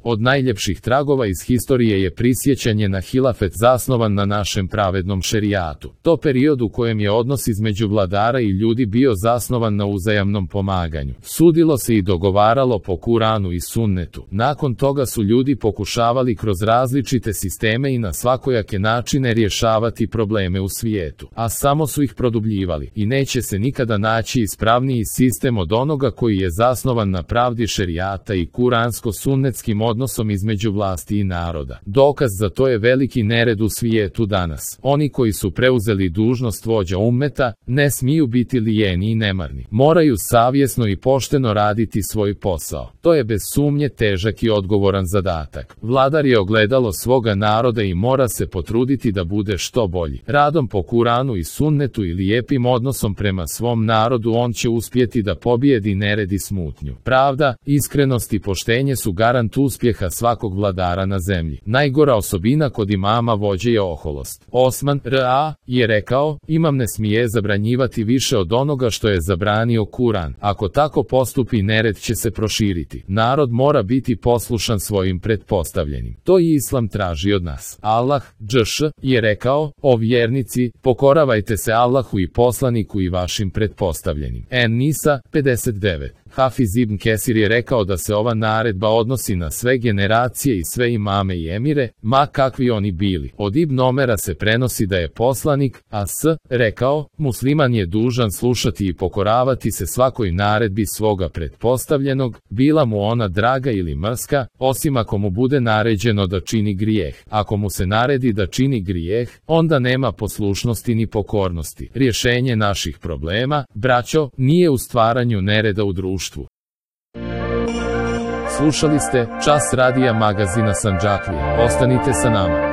Od najljepših tragova iz historije je prisjećanje na hilafet zasnovan na našem pravednom šerijatu. To period u kojem je odnos između vladara i ljudi bio zasnovan na uzajamnom pomaganju. Sudilo se i dogovaralo po Kuranu i sunnetu. Nakon toga su ljudi pokušavali kroz različite sisteme i na svakojake načine rješavati probleme u svijetu, a samo su ih produbljivali i neće se nikada naći ispravniji sistem od onoga koji je zasnovan na pravdi šerijata i kuransko-sunnetskim odnosom između vlasti i naroda. Dokaz za to je veliki nered u svijetu danas. Oni koji su preuzeli dužnost vođa ummeta ne smiju biti lijeni i nemarni. Moraju savjesno i pošteno raditi svoj posao. To je bez sumnje težak i odgovoran zadatak. Vladar je ogledalo svoga naroda i mora se potruditi da bude što bolji. Radom po Kuranu i sunnetu i lijepim odnosom prema svom narodu on će uspjeti da pobijedi nered i smutnju. Pravda, iskrenost i poštenje su garant uspjeha svakog vladara na zemlji. Najgora osobina kod imama vođe je oholost. Osman R.A. je rekao, imam ne smije zabranjivati više od onoga što je zabranio Kuran. Ako tako postupi, nered će se proširiti. Narod mora biti poslušan svojim pretpostavljenim. To i Islam traži od nas. Allah dž. je rekao, o vjernici, pokoravajte se Allahu i poslaniku i vašim pretpostavljenim. En-Nisa 59. Hafiz ibn Kesir je rekao da se ova naredba odnosi na sve generacije i sve imame i emire, ma kakvi oni bili. Od Ibn Omera se prenosi da je poslanik, rekao, musliman je dužan slušati i pokoravati se svakoj naredbi svoga pretpostavljenog, bila mu ona draga ili mrska, osim ako mu bude naređeno da čini grijeh. Ako mu se naredi da čini grijeh, onda nema poslušnosti ni pokornosti. Rješenje naših problema, braćo, nije u stvaranju nereda u društvu. Slušali ste Čas radija magazina Sandžaklije. Ostanite sa nama.